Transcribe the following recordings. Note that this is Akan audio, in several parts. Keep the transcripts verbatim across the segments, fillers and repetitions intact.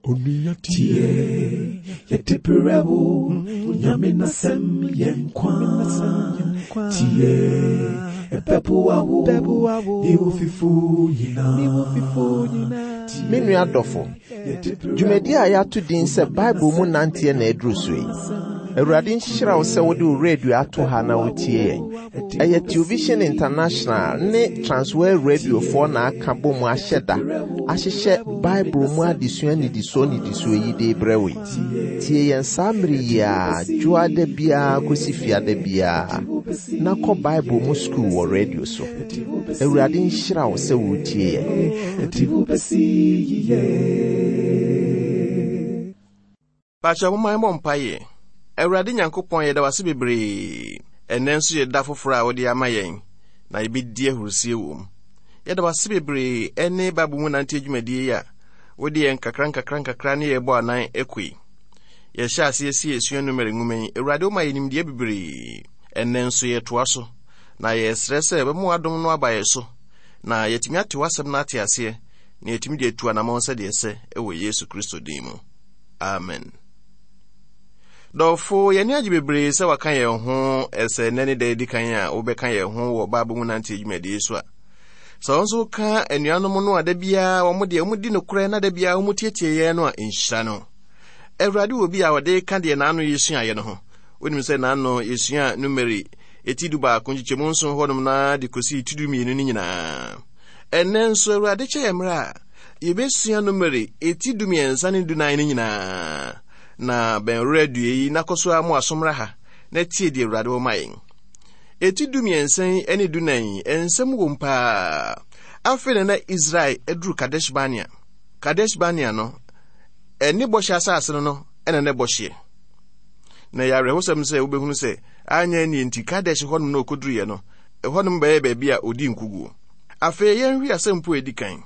Tie, yɛde brɛ wo, Nyame n'asɛm yɛ nkwa. Tie, ɛbɛboa wo, ne wo fifo nyinaa. Me nua dɔfo, dwumadi a yɛato din sɛ Bible mu nanteɛ na aduru so yi. Awurade nhyira wo sɛ wode wo radio ato ha na wotie yɛn. Ɛyɛ Television International ne Transworld Radiofoɔ na aka bɔ mu ahyɛ da ahyehyɛ Bible mu adesua nnidisoɔ nnidisoɔ yi de brɛ wo yi. Tie yɛn saa mmere yi a dwoada biara kɔsi fiada biara na kɔ Bible mu sukuu wɔ radio so. Awurade nhyira wo sɛ wotie yɛn. Ɛde wo bɛsi yiye. Paakyɛ momma yɛmmɔ mpaeɛ. Awurade Nyankopɔn, yɛda wo ase bebree. Ɛnnɛ nso yɛ da foforɔ a wode ama yɛn, na yɛbɛdi ahurusie wɔ mu. Yɛda wo ase bebree ɛne Bible mu nante dwumadie yi a wode yɛn nkakra nkakra nkakra ne yɛbɔ anan ɛkɔ yi. Yɛhyɛ aseɛ si yɛsua Numeri nwoma yi. Awurade, woma yɛ nimdeɛ bebree. Ɛnnɛ nso yɛtoa so, na yɛsrɛ sɛ bɛma w'adom no aba yɛ so, na yɛtumi ate w'asɛm no ate aseɛ, na yɛtumi de atu anammɔn sɛdeɛ ɛsɛ ɛwɔ Yesu Kristo din mu. Amen. Dɔfo, yɛne agye bebree sɛ waka yɛn ho ɛsɛ nnɛ ne da edi kan a wobɛka yɛn ho wɔ Bible mu nante dwumadie so a. Sɛ wɔn nso ka anuanom no a da biara wɔn deɛ wɔn di nokorɛ na da biara wɔn tietie yɛn no a, nhyira no. Awurade wɔ bi a ɔde ka deɛ n'ano yɛsuaeɛ no ho. Wonim sɛ n'ano yɛsua Numeri eti du baako nkyekyɛmu nson hɔnom na de kɔsi ti du mmienu no nyinaa. Ɛnnɛ nso Awurade kyɛ yɛn mmerɛ a yɛbɛsua Numeri eti du mmiɛnsa ne du nan no nyinaa. Na bɛn radio yi na kɔ so ara mo asomra ha na tie deɛ Awurade wɔ ma yɛn. Eti du mmiɛnsa yi ne du nan yi, nsɛm wɔ mu paa. Afei na na Israel aduru Kadesh Barnea. Kadesh Barnea no, ɛne bɔhyɛ asase no no ɛna na ɛbɔ hyeɛ. Na ɛyɛ awerɛhosɛm sɛ wobɛhunu sɛ anyɛ nie nti Kadesh hɔnom na ɔkɔduruiɛ no, ɛhɔnom bɛyɛ baabi a ɔdi nkoguo. Afei yɛnhwɛ asɛmpo a ɛdi kan.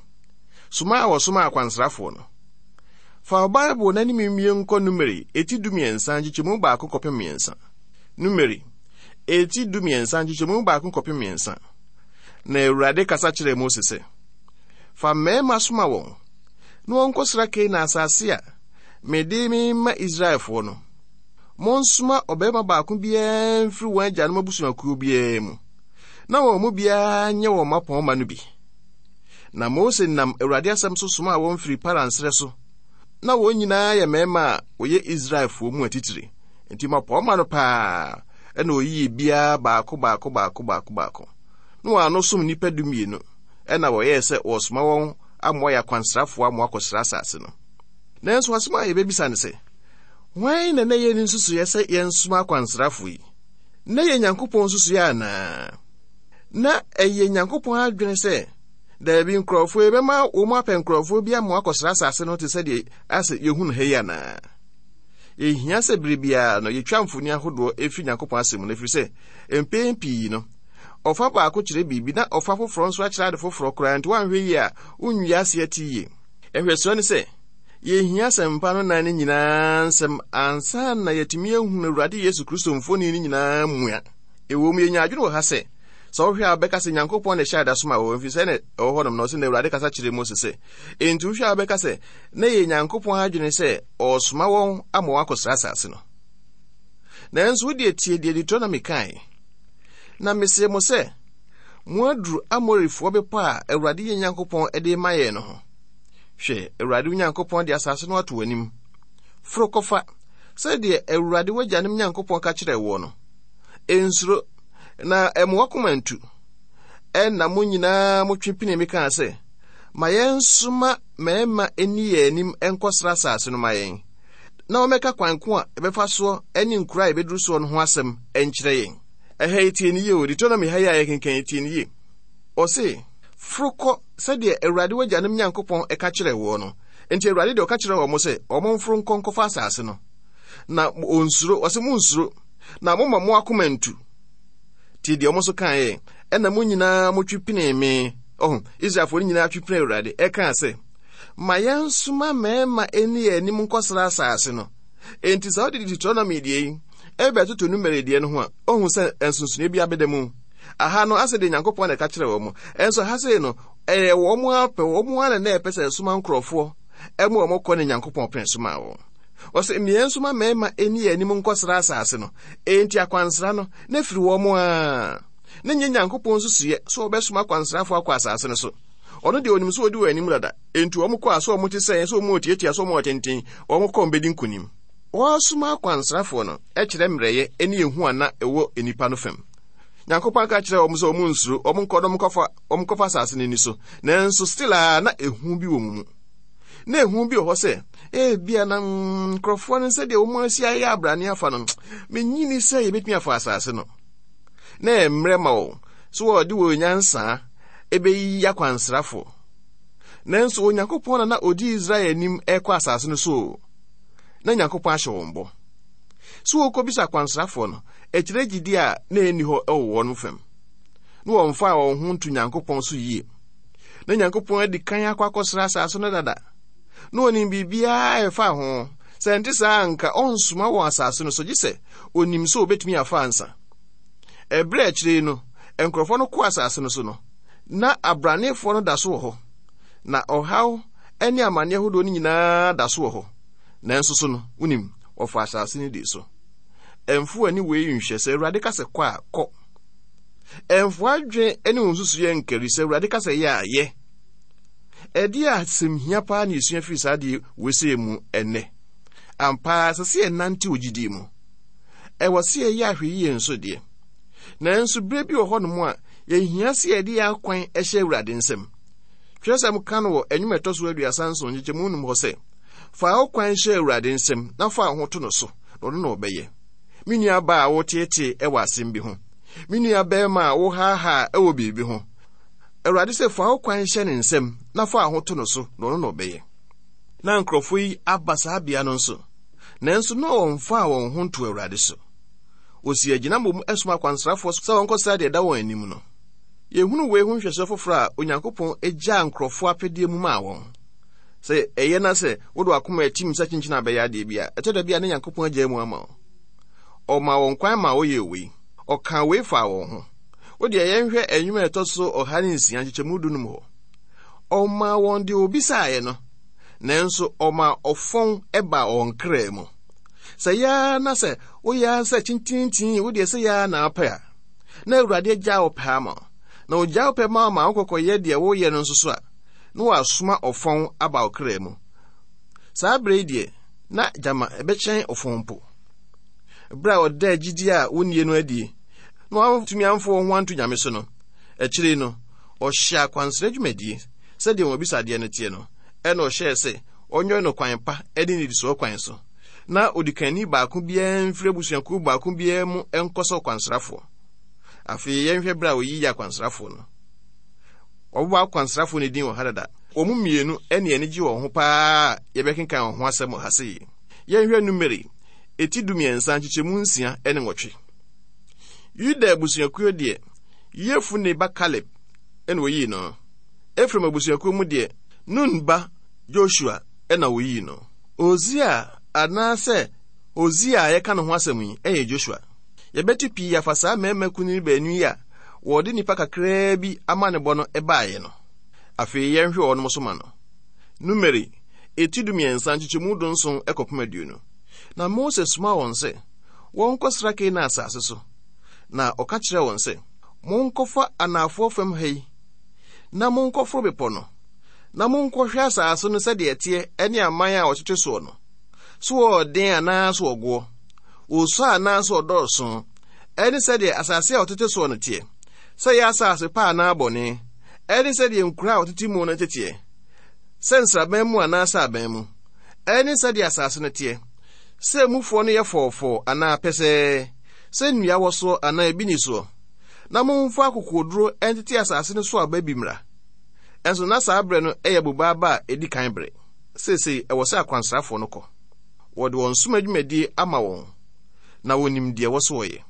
Soma a wɔsoma akwansrafoɔ no. Fa wo Bible na ne mmie nkɔ Numeri eti du mmiɛnsa nkyekyɛmu baako kɔpem mmiɛnsa. Numeri eti du mmiɛnsa nkyekyɛmu baako kɔpem mmiɛnsa. Na Awurade kasa kyerɛɛ Mose sɛ, fa mmarima soma wɔn na wɔnkɔsra Kanaan asase a mede mema Israelfoɔ no. Monsoma ɔbarima baako biara mfiri wɔn agyanom abusuakuo biara mu, na wɔn mu biara nyɛ wɔn mmapɔmma no bi. Na Mose nam Awurade asɛm so somaa wɔn firi Paran serɛ so, na wɔn nyinaa yɛ mmarima a wɔyɛ Israelfoɔ mu atitire. Enti mmapɔmma no paa ɛna oyii biara baako baako baako baako baako. Na wɔn ano som nnipa du mmienu, ɛna wɔyɛɛ sɛ wɔresoma wɔn ama wɔayɛ akwansrafoɔ ama wɔakɔsra asase no. Nanso asɛm a yɛbɛbisa ne sɛ, hwan na na ɛyɛ ne nsusuiɛ sɛ yɛnsoma akwansrafoɔ yi? Na ɛyɛ Nyankopɔn nsusuiɛ anaa? Na ɛyɛ Nyankopɔn adwene sɛ daabi, nkurɔfoɔ yi bɛma wɔn apɛ nkurɔfoɔ bi ama wɔakɔsra asase no te sɛ deɛ asɛ yɛhu no ha yi anaa? Yɛhia sɛ bere biara no yɛtwa mfoni ahodoɔ ɛfiri Nyankopɔn asɛm mu no, ɛfiri sɛ mpɛn pii no ɔfa baako kyerɛ biribi na ɔfa foforɔ nso akyerɛ ade foforɔ koraa, nti woanhwɛ yie a wonwie aseɛ te yie. Nhwɛsoɔ ne sɛ yɛhia asɛmpa no nan no nyinaa nsɛm ansa na yɛatumi ahunu Awurade Yesu Kristo mfoni no nyinaa mua. Ɛwɔ mu, yɛnya adwene wɔ ha sɛ sɛ wohwɛ a wobɛka sɛ Nyankopɔn na ɛhyɛ ada soma wɔ, ɛfiri sɛ na ɛwɔ hɔnom na ɔsɛ na Awurade kasa kyerɛ Mose sɛ, enti wohwɛ a wobɛka sɛ na ɛyɛ Nyankopɔn adwene sɛ ɔresoma wɔn ama wɔakɔsra asase no. Nanso wodeɛ tie deɛ Deuteronomy kae. Na mese mo sɛ, moaduru Amorifoɔ bepɔ a Awurade yɛn Nyankopɔn de ma yɛn no ho. Hwɛ, Awurade wo Nyankopɔn de asase no ato w'anim. Foro kɔfa, sɛdeɛ Awurade w'agyanom Nyankopɔn ka kyerɛɛ woɔ no. Nsuro, na ɛmma w'akoma ntu. Ɛnna mo nyinaa motwe pinii me kaa sɛ, ma yɛnsoma mmarima nni yɛn anim nkɔsra asase no ma yɛn, na wɔmmɛka kwan ko a ɛbɛfa soɔ ne nkuro a yɛbɛduru soɔ no ho asɛm nkyerɛ yɛn. Ɛha yi tie ne yie o, Deuteronomy ha yi a yɛkenkan yi tie ne yie. Ɔse, foro kɔ sɛdeɛ Awurade w'agyanom Nyankopɔn ɛka kyerɛɛ woɔ no. Enti Awurade deɛ ɔka kyerɛɛ wɔn sɛ wɔn mforo nkɔ nkɔfa asase no. Na onsuro, ɔse monnsuro, na momma mo akoma ntu. Tie deɛ wɔn nso kaeɛ, ɛna mo nyinaa motwe pinee me. Ɔho, Israelfoɔ no nyinaa twe pinee Awurade, ɛkaa sɛ, ma yɛnsoma mmarima nni yɛn anim nkɔsra asase no. Enti sɛ wode Deuteronomy deɛ yi ɛbɛtoto Numeri deɛ no ho a, ɔhu sɛ nsonsonoeɛ bi abɛda mu. Aha no, asɛ deɛ Nyankopɔn na ɛka kyerɛ wɔn. Ɛnso ha sei no, ɛyɛ wɔn apɛ, wɔn ara na ɛpɛ sɛ ɛsoma nkurɔfoɔ ɛma wɔn kɔ ne Nyankopɔn pene so maa wɔn. Ɔsɛ mmea nso ma mmarima ani yɛ anim nkɔsra asase no. Enti akwansra no na firi wɔn a na nyɛ Nyankopɔn nsusuiɛ sɛ wɔbɛsoma akwansrafoɔ akɔ asase no so. Ɔno deɛ onim sɛ ɔdi wɔn anim dada. Enti wɔn kɔ a sɛ wɔn te sɛn, sɛ wɔn tiatia, sɛ wɔn tenten, wɔn kɔ mbɛdi nkonim. Wɔsoma akwansrafoɔ no kyerɛ mmerɛyɛ ne ehu a na ɛwɔ nnipa no fam. Nyankopɔn aka kyerɛ wɔn sɛ wɔn nsuro, wɔn nkɔ na wɔn nkɔfa, wɔn nkɔfa asase no ani so. Nanso still a na ehu bi wɔ wɔn mu. Na ehu bi wɔ hɔ sɛ, ebia na nkurɔfoɔ no sɛdeɛ wɔn asi ayɛ abrane afa no, menyini sɛ yɛbɛtumi afa asase no. Na mmerɛ ma wɔn so wɔde wɔn nyansa ɛbɛyi akwansrafoɔ. Nanso Onyankopɔn na na odi Israel anim ɛkɔ asase no so. Na Nyankopɔn ahyɛ wɔn bɔ. So wɔkɔbisa akwansrafoɔ no, ɛkyerɛ gyidi a na ɛnni hɔ ɛwɔ wɔn fam. Na wɔmfa wɔn ho nto Nyankopɔn so yie. Na Nyankopɔn adi kan akɔ akɔsra asase no dada. Na onim biribiara a ɛfa ho. Sɛ nte saa anka ɔnsoma wɔn asase no so gye sɛ onim sɛ obetumi afa ansa. Ɛberɛ akyire no, nkurɔfoɔ no kɔ asase no so no, na abranefoɔ no da so wɔ hɔ. Na ɔhaw ne amanneɛ ahodoɔ no nyinaa da so wɔ hɔ. Nanso so no, wonim, wɔfa asase no di so. Ɛmfo ani wei nhwɛ sɛ Awurade ka sɛ kɔ a, kɔ. Ɛmfo adwene ne wo nsusuiɛ nkari sɛ Awurade ka sɛ yɛ a, yɛ. Ɛdeɛ a asɛm hia paa na yɛsua firi saa deɛ wɔsɛe mu ɛnnɛ. Ampa sɛ sɛ yɛnante wɔ gyidie mu. Ɛwɔ sɛ yɛyɛ ahwɛyie nso deɛ. Nanso berɛ bi wɔ hɔnom a yɛhia sɛ yɛde yɛn akwan hyɛ Awurade nsam. Twerɛsɛm ka no wɔ nnwom a ɛtɔ so aduasa nson nkyekyɛmu num hɔ sɛ, fa wo kwan hyɛ Awurade nsam na fa wo ho to no so, na ɔno na ɔbɛyɛ. Me nua baa a woteetee wɔ asɛm bi ho. Me nua barima a wohaahaa wɔ biribi ho. Awurade sɛ fa wo kwan hyɛ ne nsam na fa wo ho to no so, na ɔno na ɔbɛyɛ. Na nkurɔfoɔ yi aba saa bea no nso, nanso na wɔmfaa wɔn ho nto Awurade so. Wɔsi agyina mmom soma akwansrafoɔ sɛ wɔnkɔsra deɛ ɛda wɔn anim no. Yɛhunu wei ho nhwɛsoɔ foforɔ a Onyankopɔn agyaa nkurɔfoɔ apɛdeɛ mu maa wɔn. Sɛ ɛyɛ na sɛ wode w'akoma atim sɛ kyenkyene abɛyɛ adeɛ bi a, ɛtɔ da bi a ne Nyankopɔn agyaa mu ama wo. Ɔmaa wɔn kwan ma wɔyɛɛ wei. Ɔkaa wei faa wɔn ho. Wo deɛ yɛnhwɛ nnwom a ɛtɔ so ɔha ne nsia nkyekyɛmu dunum hɔ. Ɔmaa wɔn deɛ obisaeɛ no, nanso ɔmaa ɔfɔn baa wɔn kra mu. Sɛ yaa na sɛ woyɛ sɛ kyinkyinkyin, wo deɛ sɛ yaa na apɛ a, na Awurade agyaa wo pɛ ama wo. Na ogyaa wo pɛ ma wo ma wokɔkɔyɛ deɛ woyɛ no nso so a, na wasoma ɔfɔn aba wo kra mu. Saa berɛ yi deɛ, na gyama ɛbɛkyɛn ɔfɔn mpo. Berɛ a ɔdaa gyidie a wonnie no adie, na wantumi amfa wɔn ho anto Nyame so no, akyire no, ɔhyɛ akwansra dwumadie sɛdeɛ wɔn abisadeɛ no teɛ no, ɛna ɔhyɛɛ sɛ ɔnyɛ no kwan pa ne nnidisoɔ kwan so, na odikanni baako biara mfiri abusuakuo baako biara mu nkɔ sɛ ɔkwansrafoɔ. Afei yɛnhwɛ berɛ a ɔyiyi akwansrafoɔ no. Wɔbobɔ akwansrafoɔ no din wɔ ha dada. Wɔn mu mmienu ne ani gye wɔn ho paa a yɛbɛkenkan wɔn ho asɛm wɔ ha sei. Yɛnhwɛ Numeri, eti dumiɛnsa nkyekyɛmu nsia ne nwɔtwe. Yuda abusuakuo deɛ, Yefune ba Kaleb na oyii no. Efraim abusuakuo mu deɛ, Nun ba Joshua na oyii no. Hosea anaasɛ Hosea a yɛka ne ho asɛm yi yɛ Joshua. Yɛbɛte pii afa saa mmarima kunini baanu yi a wɔde nnipa kakraa bi amanebɔ no baeɛ no. Afei yɛnhwɛ wɔnom so ma no. Numeri, eti dumiɛnsa nkyekyɛmu dunson kɔpem aduonu. Na Mose somaa wɔn sɛ wɔnkɔsra Kanaan asase so. Na ɔka kyerɛɛ wɔn sɛ, monkɔfa anaafoɔ fam ha yi, na monkɔforo bepɔ no, na monkɔhwɛ asase no sɛdeɛ ɛteɛ ne aman a wɔtete soɔ no. So wɔɔden anaa so wɔgoɔ? Wɔsua anaa so wɔdɔɔso? Ɛne sɛdeɛ asase a wɔtete soɔ no teɛ, sɛ ɛyɛ asase pa anaa bɔne, ɛne sɛdeɛ nkuro a wɔtete mu no teteɛ, sɛ nsraban mu anaasɛ aban mu, ɛne sɛdeɛ asase no teɛ, sɛ mufoɔ no yɛ fɔɔfɔɔ anaa pɛsɛɛ, sɛ nnua wɔ soɔ anaa ebi ni soɔ. Na momfa akokoɔduro ntete asase no so aba bi mmra. Ɛnso na saa berɛ no yɛ boba aba a ɛdi kan bere. Seesei ɛwɔ sɛ akwansrafoɔ no kɔ. Wɔde wɔn som adwumadie ama wɔn, na wɔnim deɛ ɛwɔ so wɔyɛ.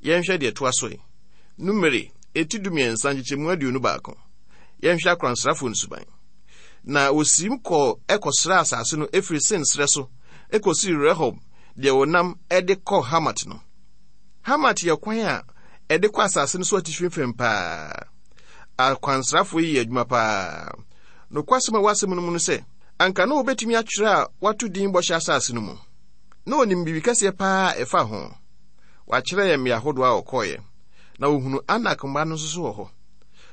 Yɛnhwɛ deɛ ɛtoa so yi. Numeri, eti dumiɛnsa nkyekyɛmu aduonu baako. Yɛnhwɛ akwansrafoɔ no suban. Na wɔsiim kɔɔ ɛkɔsraa asase no ɛfiri Sin serɛ so ɛkɔsii Rehob deɛ wɔnam de kɔ Hamat no. Hamat yɛ kwan a ɛde kɔ asase no so atifi fam paa. Akwansrafoɔ yi yɛ adwuma paa. Nokwasɛm a ɛwɔ asɛm no mu no sɛ, Anka na wobɛtumi atwerɛ a wato din Bɔhyɛ Asase no mu. Na onim biribi kɛseɛ paa a ɛfa ho. Wakyerɛ yɛn mmea ahodoɔ a wɔkɔeɛ, na wɔhunu Anak mma no nso so wɔ hɔ.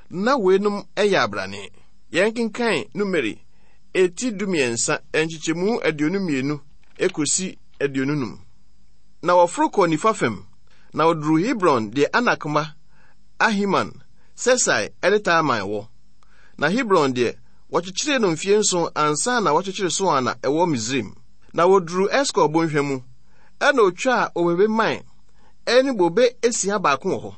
Na weinom yɛ abrane. Yɛnkenkan Numeri eti dumiɛnsa nkyekyɛmu aduonu mmienu ekosi aduonu num. Na wɔforo kɔɔ nifa fam, na wɔduruu Hebron deɛ Anak mma Ahiman, Sesai ne Talmai wɔ. Na Hebron deɛ, wɔkyekyeree no mfie nson ansa na wɔkyekyere Soan a ɛwɔ Misraim. Na wɔduruu Eskol bɔnhwa mu, ɛna otwaa obobe mman ne bobe esia baako wɔ hɔ.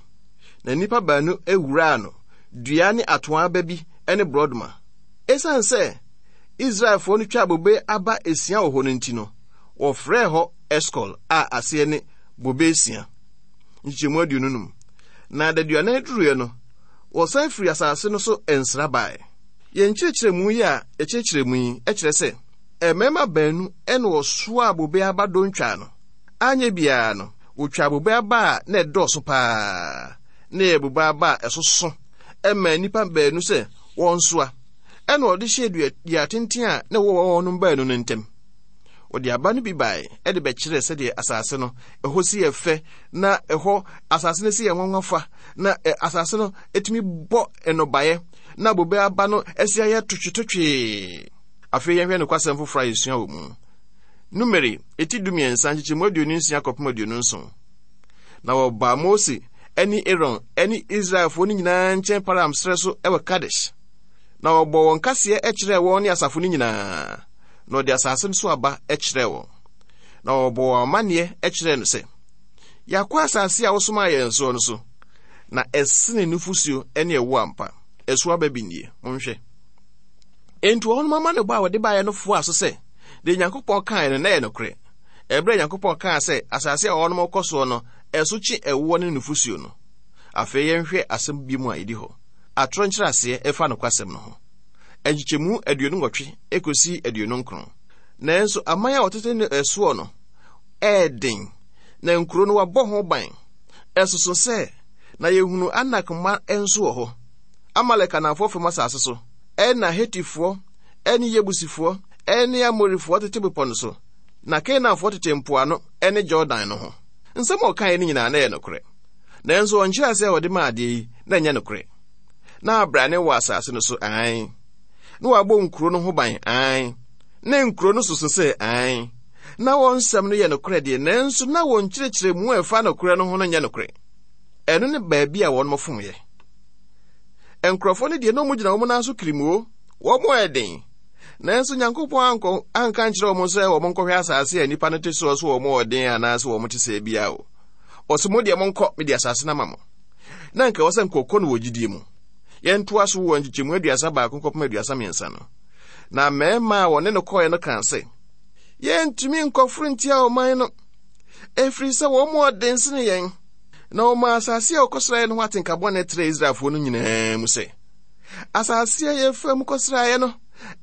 Na nnipa baanu wuraa no, dua ne atoaa aba bi ne borɔdɔma. Esiane sɛ Israelfoɔ no twaa bobe aba esia wɔ hɔ no nti no, wɔfrɛɛ hɔ Eskol a aseɛ ne bobe esia. Nkyekyɛmu aduonu num. Na adaduanan duruiɛ no, wɔsan firi asase no so nsra bae. Yɛn nkyerɛkyerɛmu yi a yɛkyerɛkyerɛ mu yi kyerɛ sɛ mmarima baanu na wɔsoaa bobe aba dontwaa no. Anyɛ biara no, wɔtwaa bobe aba a na ɛdɔɔso paa. Na ɛyɛ bobe aba a ɛsoso ɛma nnipa baanu sɛ wɔnsoa. Ɛna wɔde hyɛɛ dua dua tenten a na ɛwɔ wɔn baanu no ntam. Wɔde aba no bi bae ɛde bɛkyerɛɛ sɛdeɛ asase no ɛhɔ si yɛ fɛ, na ɛhɔ asase no si yɛ nwanwa fa, na asase no etumi bɔ nnɔbaeɛ, na bobe aba no asi ayɛ totwetotwee. Afei yɛnhwɛ nokwasɛm foforɔ a yɛsua wɔ mu. Numeri eti dumiɛnsa nkyekyɛmu aduonu nsia kɔpem aduonu nson. Na wɔbaa Mose ne Aaron ne Israelfoɔ no nyinaa nkyɛn Paran serɛ so wɔ Kadesh. Na wɔbɔɔ wɔn kaseɛ kyerɛɛ wɔn ne asafo no nyinaa, na wɔde asase no so aba kyerɛɛ wɔn. Na wɔbɔɔ wɔn amanneɛ kyerɛɛ no sɛ, yɛakɔ asase a wosomaa yɛn soɔ no so, na ɛsene nufosuo ne ɛwo ampa. Ɛso aba bi nie, monhwɛ. Enti wɔn amanneɛbɔ a wɔde baeɛ no foaa so sɛ, deɛ Nyankopɔn kaeɛ no na ɛyɛ nokorɛ. Ɛberɛ a Nyankopɔn kaa sɛ asase a wɔnom kɔ soɔ no, ɛso kye ɛwoɔ ne nufosuo no. Afei yɛnhwɛ asɛm bi mu a ɛdi hɔ. Atorɔ nkyerɛaseɛ ɛfa nokwasɛm no ho. Nkyekyɛmu aduonu nwɔtwe ekosi aduonu nkron. Nanso aman a wɔtete ne ɛsoɔ no ɛyɛ den, na nkuro no wɔabɔ ho ban. Ɛsoso sɛ na yɛhunu Anak mma nso wɔ hɔ. Amalek anafoɔ fam asase so, ɛna Hetifoɔ, ɛne Yebusifoɔ, ɛne Amorifoɔ tete bepɔ no so, na Kanaanfoɔ tete mpoano ɛne Jordan no ho. Nsɛm a ɔkaeɛ no nyinaa na ɛyɛ nokorɛ. Nanso ɔnkyerɛaseɛ a wɔde maa adeɛ yi na ɛnyɛ nokorɛ. Na abrane wɔ asase no so ae. Na wɔabɔ nkuro no ho ban ae. Na nkuro no soso sɛ ae. Na wɔn nsɛm no yɛ nokorɛ deɛ, nanso na wɔn nkyerɛkyerɛmu a ɛfa nokorɛ no ho no nyɛ nokorɛ. Ɛno ne baabi a wɔn fomyɛ. Nkurɔfoɔ no deɛ na wɔn gyina wɔn nan so kirimuo, wɔn yɛ den. Nanso Nyankopɔn ankɔ anka nkyerɛ wɔn sɛ wɔn nkɔhwɛ asase a nnipa no te soɔ so wɔn wɔ den anaasɛ wɔn te sɛ bia o. Ɔsɛ mo deɛ monkɔ, mede asase no ama mo. Na nka ɛwɔ sɛ nkɔkɔ no wɔ gyidie mu. Yɛntoa so wɔ nkyekyɛmu aduasa baako kɔpem aduasa mmiɛnsa no. Na mmarima a wɔne no kɔeɛ no kaa sɛ, yɛntumi nkɔforo ntia ɔman no, ɛfiri sɛ wɔn mu ɔden sene yɛn. Na wɔmaa asase a wɔkɔsraeɛ no ho atenka bɔne trɛɛ Israelfoɔ no nyinaa mu sɛ, asase a yɛfa mu kɔsraeɛ no,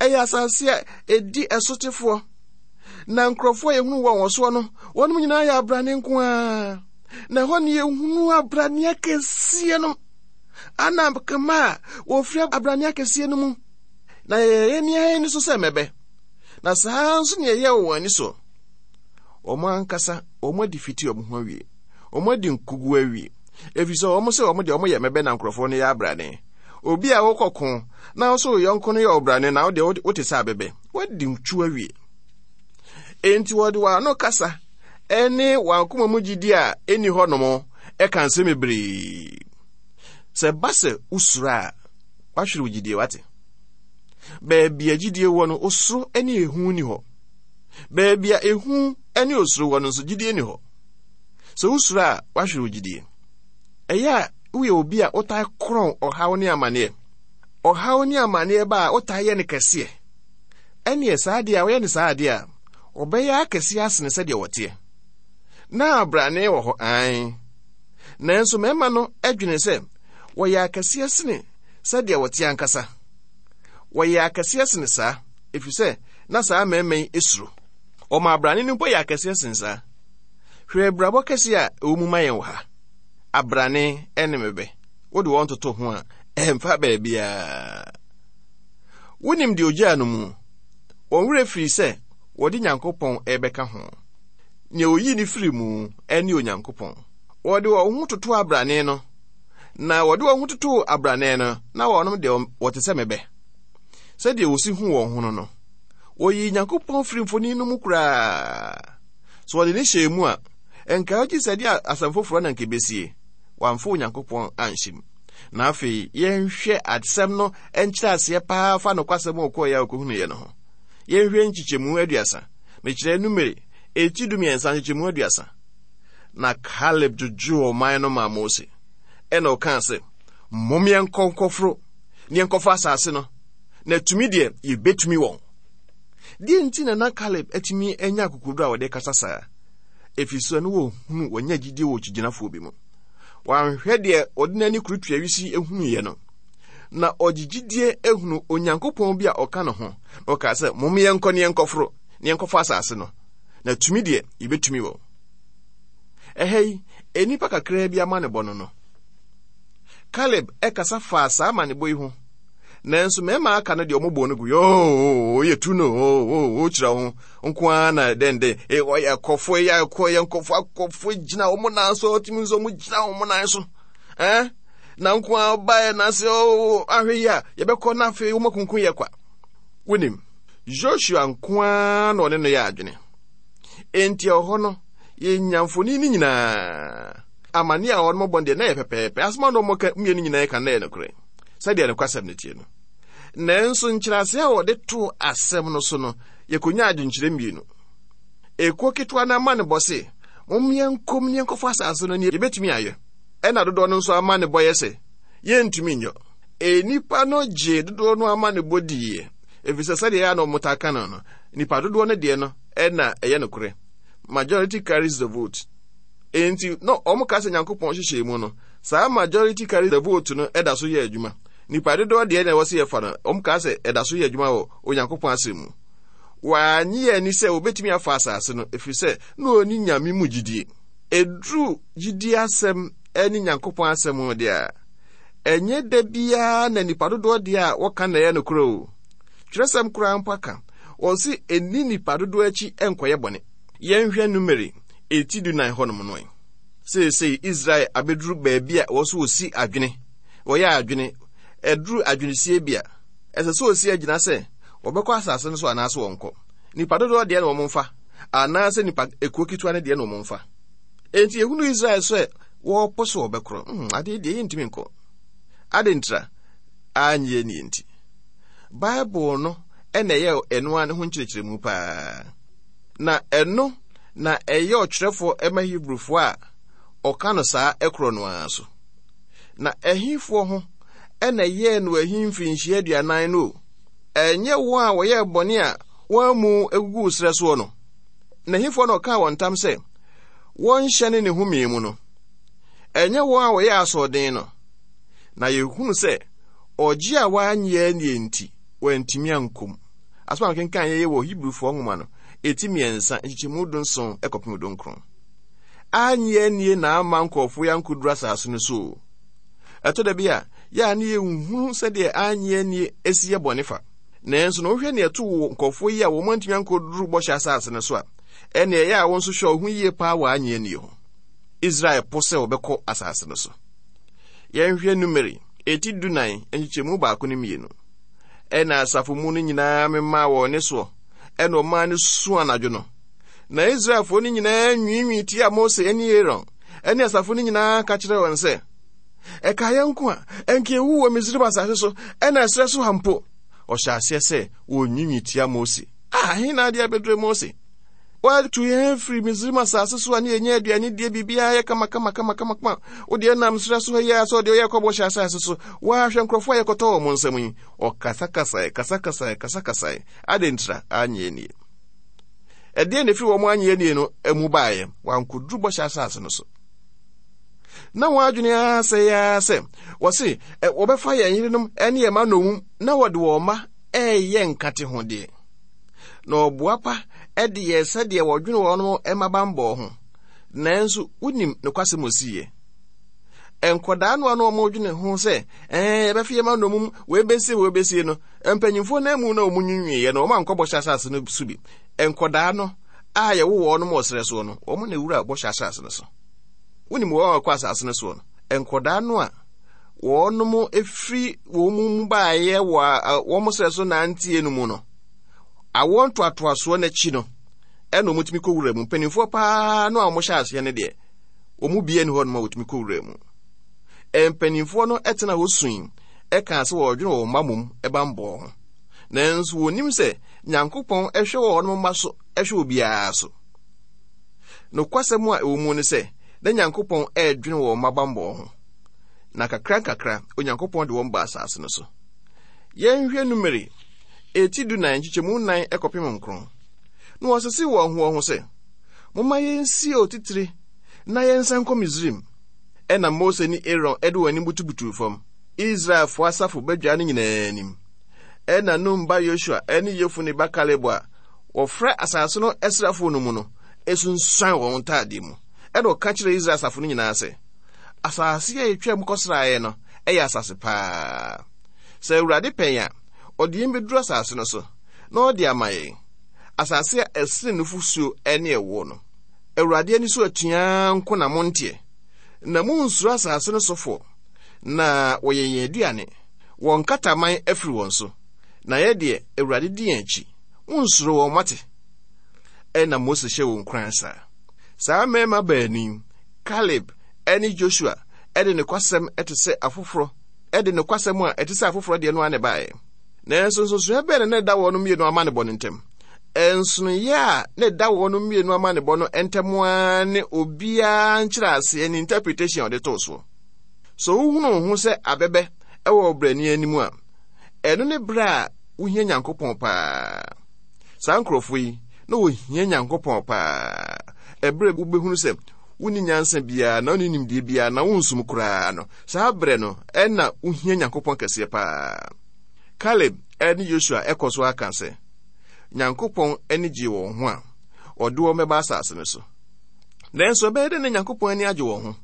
ɛyɛ asase a ɛdi ɛsotefoɔ. Na nkurɔfoɔ a yɛhunu wɔn wɔ soɔ no, wɔnom nyinaa yɛ abrane nko ara. Na ɛhɔ ne yɛhunu abrane akɛseɛ no. Anak mma a wɔfiri abrane akɛseɛ no mu. Na yɛyɛ yɛn ani so sɛ mmɛbɛ. Na saa nso ne yɛyɛ wɔ wɔn ani soɔ. Wɔn ankasa, wɔn adi fiti wɔn ho awie. Wɔn adi nkugu awie. Ɛfiri sɛ wɔn sɛ wɔn deɛ wɔn yɛ mmɛbɛ na nkurɔfoɔ no yɛ abrane. Obi a wokɔ ko na wo so wo yɔnko no yɛ ɔbrane na wo deɛ wote sɛ abɛbɛ. Woadi ntwu awie. Enti wɔde wɔn ano kasa ɛne wɔn akoma mu gyidi a ɛnni hɔnom ɛka nsɛm bebree. Sɛ ba sɛ wosuro a, wahwere wo gyidie, wate. Baabi a gyidie wɔ no, osuro ne ehu ni hɔ. Baabi a ehu ne osuro wɔ no nso, gyidie ni hɔ. Sɛ wosuro a, wahwere wo gyidie. Ɛyɛ a woyɛ obi a wotae korɔn ɔhaw ne amanneɛ. Ɔhaw ne amanneɛ ba a wotae yɛ no kɛseɛ. Ɛneɛ saa adeɛ a woyɛ no saa adeɛ a, ɔbɛyɛ akɛseɛ asene sɛdeɛ wɔteɛ. Na abrane wɔ hɔ ae. Nanso mmarima no adwene sɛ wɔyɛ akɛseɛ sene sɛdeɛ wɔte ankasa. Wɔyɛ akɛseɛ sene saa, ɛfiri sɛ na saa mmarima yi esuro. Wɔma abrane no mpo yɛ akɛseɛ sene saa. Hwɛ abrabɔ kɛseɛ a ɛwɔ mu ma yɛn wɔ ha. Abrane ne mmɛbɛ. Wode wɔn toto ho a, ɛmfa baabiara. Wonim deɛ ogyaa no mu. Wɔn werɛ firi sɛ wɔde Nyankopɔn ɛbɛka ho. Nea oyii ne firi mu ɛne Onyankopɔn. Wɔde wɔn ho toto abrane no, na wɔde wɔn ho toto abrane no, na wɔnom deɛ wɔte sɛ mɛbɛ. Sɛdeɛ wɔsi hu wɔn ho no no, wɔyii Nyankopɔn firi mfoni no mu koraa. So wɔde ne hyɛɛ mu a, nka gye sɛ deɛ asɛm foforɔ na nka ebesie. Wɔamfa Onyankopɔn anhyɛ mu. Na afei yɛnhwɛ asɛm no nkyerɛ aseɛ paa fa nokwasɛm a ɔkɔɔ yɛ a ɔkɔhunuiɛ no ho. Yɛnhwɛ nkyekyɛmu aduasa. Mekyerɛ Numeri eti dumiɛnsa nkyekyɛmu aduasa. Na Caleb dwodwoo ɔman no maa Mose. Ɛna ɔkaa sɛ, mom yɛnkɔ nkɔforo ne yɛnkɔfa asase no, na tumi deɛ yɛbɛtumi wɔn. Deɛ nti na na Caleb atumi anya akokoduro a wɔde kasa saa? Ɛfiri sɛ no wɔhunu wɔnya gyidie wɔ kyigyinafoɔ bi mu. Wanhwɛ deɛ ɔde n'ani kurutua wisi ehunuiɛ no, na ɔgye gyidie ehunu Onyankopɔn bi a ɔka ne ho. Na ɔkaa sɛ, mom yɛnkɔ ne yɛnkɔforo ne yɛnkɔfa asase no, na tumi deɛ yɛbɛtumi wɔn. Ɛha yi, nnipa kakraa bi amanebɔ no no. Caleb ɛkasa faa saa amanebɔ yi ho. Nanso mmarima aka no deɛ ɔmo bɔ no gu yoo yɛ tu no oo kyerɛ ho nko ara na dɛndɛn e ɔyɛ akɔfo yɛ akɔ yɛ nkɔfo akɔfo gyina wɔn nan so ɔtumi nso wɔn gyina wɔn nan so ɛn na nko ara ɔbaeɛ na sɛ oo ahwɛ yi a yɛbɛkɔ na afei wɔn akunkun yɛ kwa. Wonim, Joshua nko ara na ɔne no yɛ adwene. Enti ɛwɔ hɔ no yɛnya mfoni no nyinaa. Amane a wɔn bɔ deɛ na yɛ pɛpɛɛpɛ. Asoma na wɔn ka mmienu nyinaa ka na yɛ nokorɛ sɛdeɛ nokwasɛm no tie no. Nanso nkyerɛaseɛ a wɔde too asɛm no so no, yɛkɔnya adwenkyerɛ mmienu. Ekuo ketewa no ama ne bɔ se, mom yɛnkɔm ne yɛnkɔfa asase no ne yɛbɛtumi ayɛ. Ɛna dodoɔ no nso ama ne bɔ yɛ sɛ, yɛntumi nyɔ. Enipa no gye dodoɔ no ama ne bɔ diiɛ, ɛfiri sɛ sɛdeɛ ɛyɛ a na wɔn taa ka no no, nipa dodoɔ no deɛ no ɛna ɛyɛ nokorɛ. Majority carries the vote. Enti na wɔn ka sɛ Nyankopɔn hyehyɛ mu no, saa majority carries the vote no ɛda so yɛ adwuma. Nipa dodoɔ deɛ na ɛwɔ sɛ yɛfa no, wɔn ka sɛ ɛda so yɛ adwuma wɔ Onyankopɔn asɛm mu. Wɔanye ani sɛ wɔbɛtumi afa asase no, ɛfiri sɛ na ɔni Nyame mu gyidie. Ɛduru gyidie asɛm ne Nyankopɔn asɛm deɛ a, ɛnyɛ da biara na nipa dodoɔ deɛ a wɔka na ɛyɛ nokorɛ o. Twerɛsɛm koraa mpo aka, wɔn se ɛnni nipa dodoɔ akyi nkɔyɛ bɔne. Yɛnhwɛ Numeri eti dunan hɔnom no. Seesei Israel abɛduru baabi a wɔ so wɔsi adwene, wɔyɛ adwene, ɛduru adwenesie bi a, ɛsɛ sɛ wɔsi agyina sɛ wɔbɛkɔ asase no so anaasɛ wɔnkɔ. Nipa dodoɔ deɛ na wɔn mfa, anaasɛ nipa ekuo ketewa no deɛ na wɔn mfa. Enti ehunu Israel sɛ wɔrepo so wɔbɛkorɔ. Hmm, adeɛ deɛ yɛntumi nkɔ. Ade ntra anyɛ nie nti. Bible no ɛna ɛyɛ ɛno ara ne ho nkyerɛkyerɛmu paa. Na ɛno na ɛyɛ ɔtwerɛfoɔ ɛma Hebrewfoɔ a ɔka no saa ɛkorɔ no ara so. Na ɛhefoɔ ho ɛna ɛyɛɛ no ahi mfirinhyia aduanan no o. Ɛnyɛ wɔn a wɔyɛɛ bɔne a wɔn amu eguguu serɛ soɔ no. Na ɛhefoɔ na ɔkaa wɔn ntam sɛ wɔnhyɛne ne home mu no. Ɛnyɛ wɔn a wɔyɛɛ asoɔden no. Na yɛhunu sɛ ɔgye a wɔanyɛ nie nti wɔantumi ankɔ mu. Asɛm a mekenkan yɛyɛ wɔ Hebrewfoɔ nwoma no eti mmiɛnsa nkyekyɛmu dunson ɛkɔpem dunkron. Anyɛ nie na ama nkurɔfoɔ yi ankɔduru asase no so o. Ɛtɔ da bi a yɛ a ne yɛnhunu sɛdeɛ anyɛ nie esi yɛ bɔne fa. Nanso na wohwɛ nea ɛto wɔ nkurɔfoɔ yi a wɔn antumi ankɔduru bɔhyɛ asase no so a, ɛnea ɛyɛ a wɔn nso hwɛ ɔho yie paa wɔ anyɛ nie ho. Israel po sɛ wɔbɛkɔ asase no so. Yɛnhwɛ Numeri eti dunan nkyekyɛmu baako ne mmienu. Ɛna asafo mu no nyinaa memaa wɔn ne soɔ, ɛna ɔmaa no su anadwo no. Na Israelfoɔ no nyinaa nwiinwii tia Mose ne Aaron, ɛne asafo no nyinaa ka kyerɛɛ wɔn sɛ, ɛka yɛn nko a, ɛnka ewu wɔ Misraim asase so, ɛna ɛserɛ so ha mpo. Ɔhyɛ aseɛ sɛ wɔnwiinwii tia Mose. Ah, he na adeɛ abɛdure Mose? Watu yɛn firi Misraim asase so a ne yɛnya aduane die biribiara yɛ kama kama kama kama kama. Wo deɛ nam serɛ so ha yi a sɛ ɔdeɛ ɔyɛ kɔbɔ hyɛ asase so. Woahwɛ nkurɔfoɔ a yɛkɔtɔ wɔn nsam yi. Ɔkasakasae, kasakasae, kasakasae. Ade ntira anyɛ nie. Ɛdeɛ na ɛfiri wɔn anyɛ nie no mu baeɛ. Wankɔduru bɔhyɛ asase no so. Na wɔn adwene ara sɛ yɛa sɛ wɔse wɔbɛfa yɛn yerenom ne yɛn mma nnommum na wɔde wɔn mma ɛreyɛ nkate ho deɛ. Na ɔboa pa de yɛ sɛdeɛ wɔdwene wɔn mma bammɔ ho. Nanso wonim nokwasɛm osiiɛ. Nkɔdaa no a na wɔn dwene ho sɛ ɛɛ yɛbɛfe yɛn ma nnommum, wei bɛsie wei bɛsie no, mpanyinfoɔ no amu na wɔn nwinwiiɛ no, wɔn ankɔ bɔhyɛ asase no so bi. Nkɔdaa no a yɛwo wɔn wɔ serɛ soɔ no, wɔn na ewura bɔhyɛ asase no so. Wonim wɔn a wɔkɔ asase no soɔ no, nkɔdaa no a wɔn efiri wɔn mu baeɛ wɔ wɔn serɛ so nanteɛ no mu no, awoɔ ntoatoasoɔ n'akyi no, ɛna wɔn tumi kɔ wura mu. Mpanimfoɔ paa no a wɔhyɛ aseɛ no deɛ, wɔn mu bie ni hɔ nom a wɔtumi kɔ wura mu. Mpanimfoɔ no tena hɔ sui ɛka sɛ wɔredwene wɔn mma mom bammɔ ho. Nanso wɔnim sɛ Nyankopɔn hwɛ wɔn mma so, hwɛ obiara so. Nokwasɛm a ɛwɔ mu ne sɛ, na Nyankopɔn ɛredwene wɔn mma bammɔ ho. Na kakra nkakra, Onyankopɔn de wɔn ba asase no so. Yɛnhwɛ Numeri eti du nan nkyekyɛmu nan kɔpem nkron. Na wɔsese wɔn ho wɔn ho sɛ, momma yɛnsie otitire na yɛnsan nkɔ Misraim. Ɛna Mose ne Aaron de wɔn anim butubutuu fam, Israelfoɔ asafo badwa no nyinaa anim. Ɛna Nun ba Yosua ne Yefune ba Kaleb a wɔfrɛ asase no asrafoɔ no mu no esunsuan wɔn ntadeɛ mu. Ɛna ɔka kyerɛ Israel asafo no nyinaa sɛ, asase a yɛtwa mu kɔsraeɛ no ɛyɛ asase paa. Sɛ Awurade pɛn a, ɔde yɛn bɛduru asase no so, na ɔde ama yɛn. Asase a ɛsene nufosuo ne ɛwoɔ no. Awurade ani so atua nko na monteɛ. Na munnsuro asase no sofoɔ, na wɔyɛ yɛn aduane. Wɔn kataman afiri wɔn so, na yɛ deɛ Awurade di yɛn akyi. Munnsuro wɔn, mate. Ɛna Mose hyɛ wɔn nkuran saa. Saa mmarima baanu yi, Caleb ne Joshua, ɛde nokwasɛm ɛte sɛ afoforɔ, ɛde nokwasɛm a ɛte sɛ afoforɔ deɛ no ara na ɛbaeɛ. Nanso nsonsonoeɛ bɛn na na ɛda wɔn mmienu amanebɔ no ntam? Nsonoeɛ a na ɛda wɔn mmienu amanebɔ no ntam ara ne obiara nkyerɛaseɛ ne interpretation a ɔde too soɔ. So wohunu wo ho sɛ abɛbɛ ɛwɔ ɔbrani anim a, ɛno ne berɛ a wohia Nyankopɔn paa. Saa nkurɔfoɔ yi, na wɔhia Nyankopɔn paa. Ɛberɛ wobɛhunu sɛ wonni nyansa biara na wonni nimdeɛ biara na wonsum koraa no, saa berɛ no ɛna wohia Nyankopɔn kɛseɛ paa. Caleb ne Yosua ɛkɔ so aka sɛ, Nyankopɔn ani gyee wɔn ho a ɔde wɔn bɛba asase no so. Nanso ɛbɛyɛ dɛ na Nyankopɔn ani agye wɔn ho,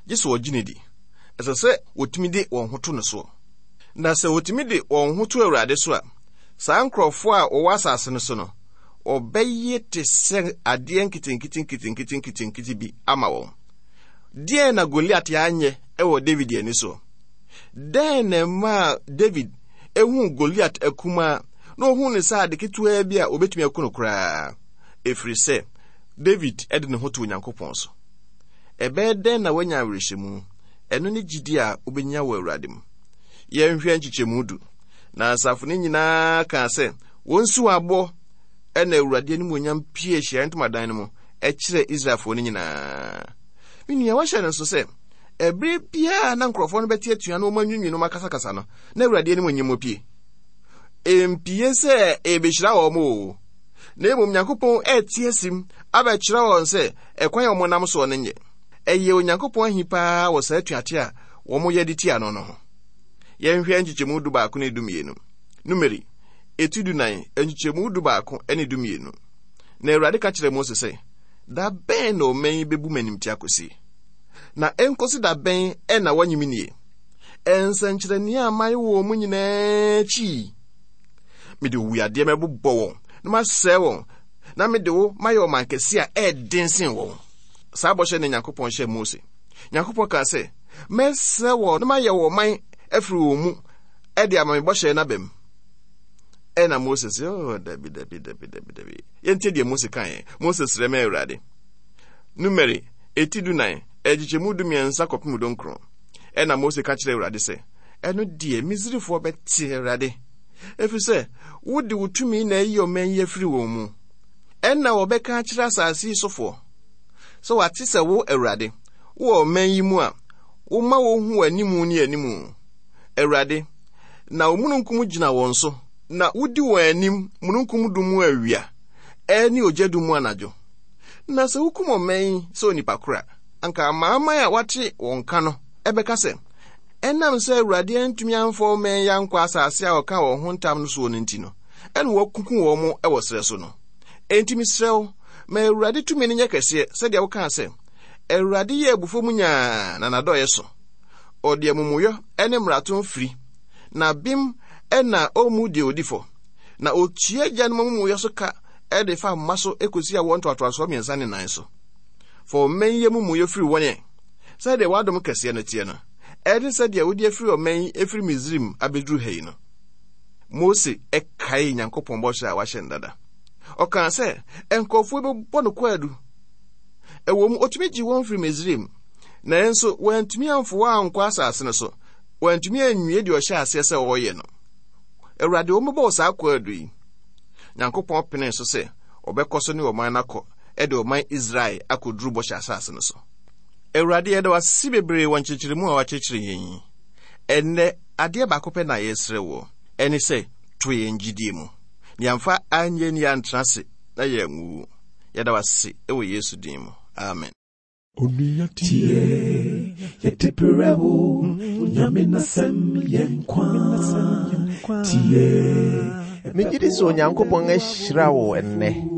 gye sɛ wɔgye no di. Ɛsɛ sɛ wɔtumi de wɔn ho to no soɔ. Na sɛ wɔtumi de wɔn ho to Awurade so a, saa nkurɔfoɔ a wɔwɔ asase no so no, wɔbɛyɛ te sɛ adeɛ nketenkete nketenkete nketenkete bi ama wɔn. Deɛn na Goliat anyɛ wɔ David ani soɔ? Dɛn na ɛmaa David ehuu Goliat akumaa na ohuu ne sɛ ade ketewaa bi a obetumi aku no koraa? Ɛfiri sɛ David de ne ho to Onyankopɔn so. Ɛbɛyɛ dɛn na wanya awerɛhyɛmu? Ɛno ne gyidi a wobɛnya wɔ Awurade mu. Yɛnhwɛ nkyekyɛmu du. Na asafo no nyinaa kaa sɛ wɔnsi wɔn aboɔ. Ɛna Awurade animuonyam pie ahyiaeɛ ntomadan no mu ɛkyerɛ Israelfoɔ no nyinaa. Me nua, wahyɛ no nso sɛ ɛberɛ biara na nkurɔfoɔ no bɛte atua na wɔn anwiinwii na wɔn akasakasa no, na Awurade animuonyam pie. Ɛmpie sɛ ɛbɛhyira wɔn o, na mmom Nyankopɔn ɛte asim abɛkyerɛ wɔn sɛ ɛkwan a wɔnam soɔ no nyɛ. Ɛyɛ Onyankopɔn ahi paa wɔ saa atuate a wɔn yɛ de tia no no ho. Yɛnhwɛ nkyekyɛmu du baako ne du mmienu. Numeri eti du nan nkyekyɛmu du baako ne du mmienu. Na Awurade ka kyerɛɛ Mose sɛ, da bɛn na ɔman yi bɛbu m'animtia kɔsi? Na ɛnkɔsi da bɛn ɛna wɔnye me nie? Nsɛnkyerɛnneɛ a mayɛ wɔ wɔn mu nyinaa akyi, mede owuyadeɛ mɛbobɔ wɔn na masɛe wɔn, na mede wo mayɛ ɔman kɛse a ɛɛden sen wɔn. Saa bɔhyɛ na Nyankopɔn hyɛɛ Mose. Nyankopɔn kaa sɛ, mɛsrɛ wɔn na mayɛ wɔn man afiri wɔn mu ɛde ama me bɔhyɛ no aba mu. Ɛna Mose sɛ, oh, dabi, dabi, dabi, dabi, dabi. Yɛntie deɛ Mose kaeɛ. Mose srɛ ma Awurade. Numeri, eti du nan, ɛkyekyɛmu du mmiɛnsa kɔpem du nkron. Ɛna Mose ka kyerɛ Awurade sɛ, ɛno deɛ Misrifoɔ bɛte Awurade, ɛfiri sɛ wode wo tumi na ayi ɔman yi afiri wɔn mu. Ɛna wɔbɛka akyerɛ asase yi sofoɔ sɛ wɔate sɛ wo Awurade wowɔ ɔman yi mu a woma wɔhu w'animu ne animu. Awurade, na wo mununkum gyina wɔn so, na wodi wɔn anim mununkum dum mu awia ɛne ogya dum mu anadwo. Na sɛ wokum ɔman yi sɛ onipa koro a, anka amanaman a wɔate wɔn ka no ɛbɛka sɛ, ɛnam sɛ Awurade antumi amfa ɔman yi ankɔ asase a ɔka wɔn ho ntam no soɔ no nti no, ɛna wɔakuku wɔn wɔ serɛ so no. Enti mesrɛ wo, ma Awurade tumi no nyɛ kɛseɛ, sɛdeɛ wokaa sɛ, Awurade yɛ abufuo mu nyaa na n'adɔeɛ so. Ɔde amumuyɔ ne mmarato firi, na bem na ɔmmu deɛ odi fɔ. Na otua agyanom amumuyɔ so ka de fa mma so ekosi awoɔ ntoatoasoɔ mmiɛnsa ne nan so. Fa ɔman yi amumuyɔ firi wɔn ɛ, sɛdeɛ w'adom kɛseɛ no teɛ no, ɛne sɛdeɛ wode afiri ɔman yi afiri Misraim abɛduru ha yi no. Mose kaee Nyankopɔn bɔhyɛ a wahyɛ no dada. Ɔkaa sɛ nkurɔfoɔ bɛbɔ no kwaadu. Ɛwɔ mu, otumi gye wɔn firi Misraim, nanso wɔantumi amfo wɔn ankɔ asase no so. Wɔantumi anwie deɛ ɔhyɛ aseɛ sɛ ɔreyɛ no. Awurade, wɔmmɛbɔ wo saa kwaadu yi. Nyankopɔn penee so sɛ ɔbɛkɔ so ne ɔman no akɔ, ɛde ɔman Israel akɔduru bɔhyɛ asase no so. Awurade, yɛda wo ase bebree wɔ nkyerɛkyerɛmu a wakyerɛkyerɛ yɛn yi. Ɛnnɛ, adeɛ baako pɛ na yɛsrɛ wɔ, ɛne sɛ to yɛn gyidie mu. Na yɛamfa anyɛ ni antena ase na yɛanwuwu. Yɛda wo ase wɔ Yesu din mu. Amen. Onua tie, yɛde brɛ wo, Onyame n'asɛm yɛ nkwa. Tie. Megye di sɛ Onyankopɔn ahyira wo ɛnnɛ.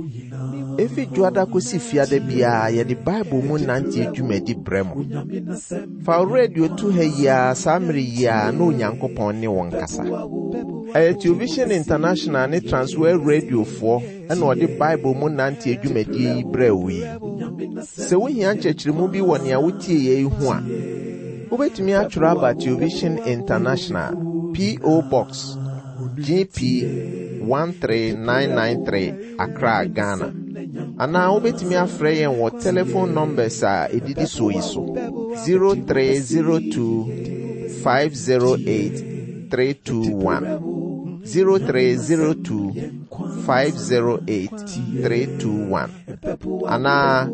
Efi dwoada kosi fiada biara yɛde Bible mu nante dwumadi brɛ mo. Fa wo radio to ha yi ara saa mmere yi ara na Onyankopɔn ne wo nkasa. Ɛyɛ Television International ne Transworld Radiofoɔ ɛna ɔde Bible mu nante dwumadie yi brɛ wo yi. Sɛ wohia nkyerɛkyerɛmu bi wɔ nea wotie yɛ yi ho a, wobɛtumi atwerɛ aba Television International, P O. Box G P one three nine nine three, Accra, Ghana. Anaa wobɛtumi afrɛ yɛn wɔ telephone numbers a ɛdidi soɔ yi so: zero three zero two five zero eight three two one, zero three zero two five zero eight three two one, anaa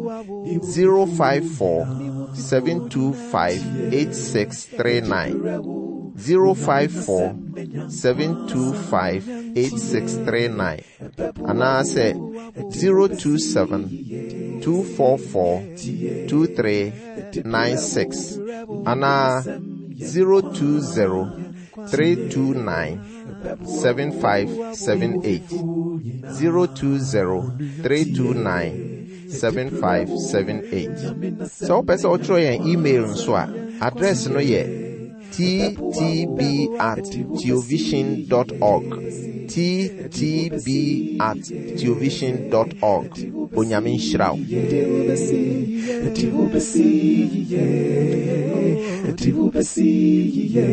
zero five four seven two five eight six three nine, zero five four seven two five eight six three nine, anaasɛ zero two seven two four four two three nine six, anaa zero two zero three two nine seven five seven eight, zero two zero three two nine seven five seven eight. Sɛ wopɛ sɛ wotwerɛ yɛn email nso a, address no yɛ T T B at theovision dot org, T T B at theovision dot org. Onyame nhyira wo. Yɛde wobɛsi, yɛde wobɛsi yiye, yɛde wobɛsi yiye.